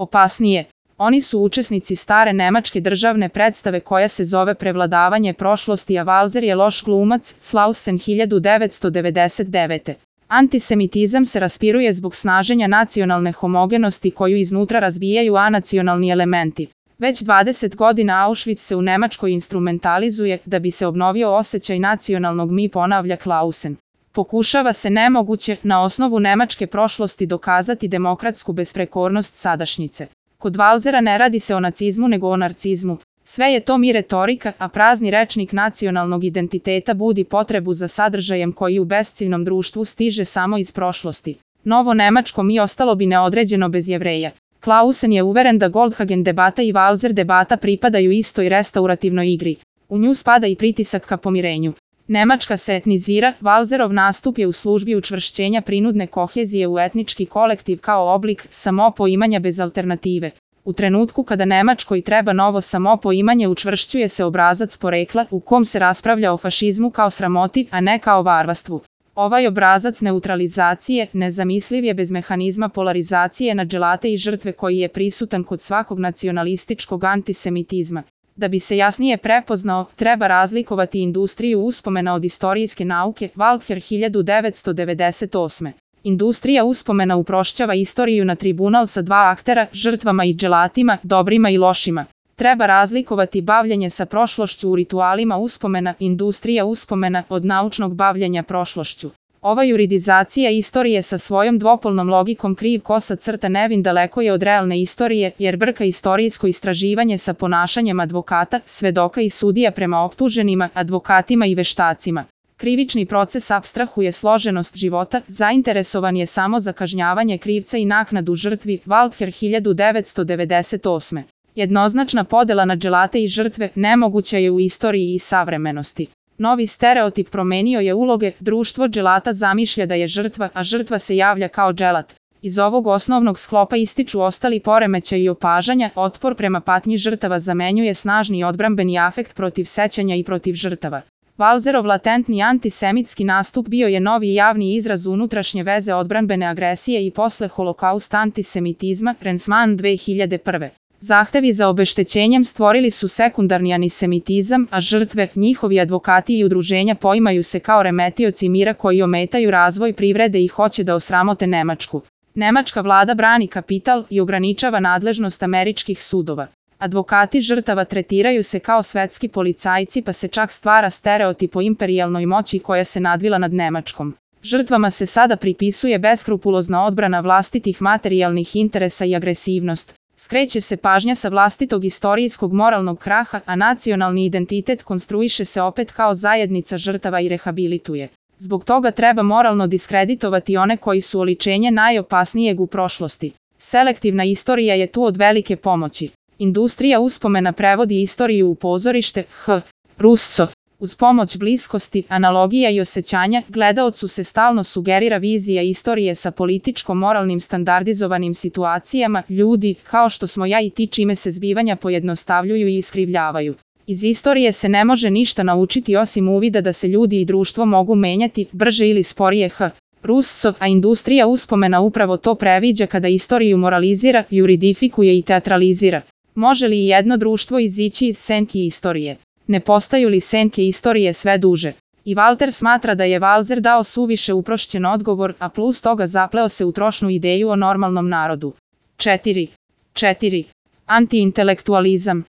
Opasnije, oni su učesnici stare nemačke državne predstave koja se zove Prevladavanje prošlosti, a Walser je loš glumac, Slausen 1999. Antisemitizam se raspiruje zbog snaženja nacionalne homogenosti koju iznutra razbijaju anacionalni elementi. Već 20 godina Auschwitz se u Nemačkoj instrumentalizuje da bi se obnovio osjećaj nacionalnog mi, ponavlja Clausen. Pokušava se nemoguće na osnovu nemačke prošlosti dokazati demokratsku besprekornost sadašnjice. Kod Walsera ne radi se o nacizmu nego o narcizmu. Sve je to mi retorika, a prazni rečnik nacionalnog identiteta budi potrebu za sadržajem koji u besciljnom društvu stiže samo iz prošlosti. Novo nemačko mi ostalo bi neodređeno bez Jevreja. Clausen je uveren da Goldhagen debata i Walser debata pripadaju istoj restaurativnoj igri. U nju spada i pritisak ka pomirenju. Nemačka se etnizira, Walserov nastup je u službi učvršćenja prinudne kohezije u etnički kolektiv kao oblik samopoimanja bez alternative. U trenutku kada Nemačkoj treba novo samopoimanje učvršćuje se obrazac porekla u kom se raspravlja o fašizmu kao sramoti, a ne kao varvarstvu. Ovaj obrazac neutralizacije nezamisliv je bez mehanizma polarizacije na dželate i žrtve koji je prisutan kod svakog nacionalističkog antisemitizma. Da bi se jasnije prepoznao, treba razlikovati industriju uspomena od istorijske nauke, Walther 1998. Industrija uspomena uprošćava istoriju na tribunal sa dva aktera, žrtvama i dželatima, dobrima i lošima. Treba razlikovati bavljenje sa prošlošću u ritualima uspomena, industrija uspomena, od naučnog bavljenja prošlošću. Ova juridizacija istorije sa svojom dvopolnom logikom kriv kosa crta nevin daleko je od realne istorije, jer brka istorijsko istraživanje sa ponašanjem advokata, svedoka i sudija prema optuženima, advokatima i veštacima. Krivični proces apstrahuje složenost života, zainteresovan je samo za kažnjavanje krivca i naknadu žrtvi, Walther 1998. Jednoznačna podela na dželate i žrtve nemoguća je u istoriji i savremenosti. Novi stereotip promenio je uloge, društvo dželata zamišlja da je žrtva, a žrtva se javlja kao dželat. Iz ovog osnovnog sklopa ističu ostali poremećaji i opažanja, otpor prema patnji žrtava zamenjuje snažni odbrambeni afekt protiv sećanja i protiv žrtava. Walserov latentni antisemitski nastup bio je novi javni izraz unutrašnje veze odbranbene agresije i posle holokaust antisemitizma, Rensman 2001. Zahtevi za obeštećenjem stvorili su sekundarni anisemitizam, a žrtve, njihovi advokati i udruženja poimaju se kao remetioci mira koji ometaju razvoj privrede i hoće da osramote Nemačku. Nemačka vlada brani kapital i ograničava nadležnost američkih sudova. Advokati žrtava tretiraju se kao svetski policajci pa se čak stvara stereotip o imperijalnoj moći koja se nadvila nad Nemačkom. Žrtvama se sada pripisuje beskrupulozna odbrana vlastitih materijalnih interesa i agresivnost. Skreće se pažnja sa vlastitog istorijskog moralnog kraha, a nacionalni identitet konstruiše se opet kao zajednica žrtava i rehabilituje. Zbog toga treba moralno diskreditovati one koji su oličenje najopasnijeg u prošlosti. Selektivna istorija je tu od velike pomoći. Industrija uspomena prevodi istoriju u pozorište, Russo. Uz pomoć bliskosti, analogija i osjećanja, gledaocu se stalno sugerira vizija istorije sa političko-moralnim standardizovanim situacijama, ljudi, kao što smo ja i ti, čime se zbivanja pojednostavljuju i iskrivljavaju. Iz istorije se ne može ništa naučiti osim uvida da se ljudi i društvo mogu menjati, brže ili sporije, Russo, a industrija uspomena upravo to previđa kada istoriju moralizira, juridifikuje i teatralizira. Može li jedno društvo izići iz senki istorije? Ne postaju li senke istorije sve duže? I Walter smatra da je Walser dao suviše uprošćen odgovor, a plus toga zapleo se u trošnu ideju o normalnom narodu. 4. Antiintelektualizam.